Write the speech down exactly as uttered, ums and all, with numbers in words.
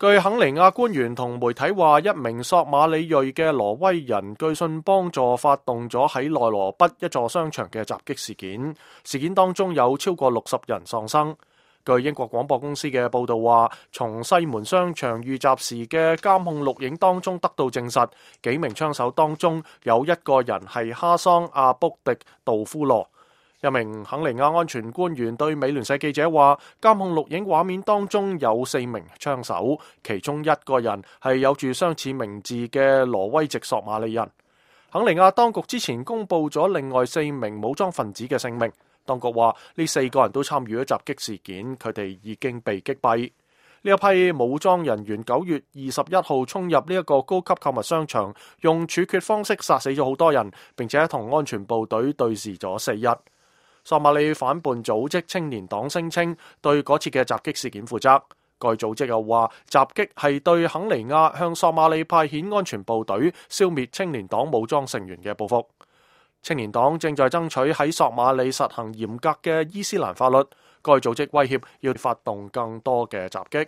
據肯尼亞官員同媒體話，一名索馬里裔嘅挪威人據信幫助發動咗喺內羅畢一座商場嘅襲擊事件，事件當中有超過六十人喪生。據英國廣播公司嘅報導話，從西門商場遇襲時嘅監控錄影當中得到證實，幾名槍手當中有一個人係哈桑阿卜迪杜夫羅。一名肯尼亞安全官員對美聯社記者話，監控錄影畫面當中有四名槍手，其中一個人係有住相似名字嘅挪威籍索馬里人。肯尼亞當局之前公布咗另外四名武裝分子嘅姓名，當局話呢四個人都參與咗襲擊事件，佢哋已經被擊斃。呢一批武裝人員九月二十一號衝入呢一個高級購物商場，用處決方式殺死咗好多人，並且同安全部隊對峙咗四日。索馬里反叛組織青年黨聲稱對嗰次嘅襲擊事件負責。該組織又話襲擊係對肯尼亞向索馬里派遣安全部隊消滅青年黨武裝成員嘅報復。青年黨正在爭取喺索馬里實行嚴格嘅伊斯蘭法律。該組織威脅要發動更多嘅襲擊。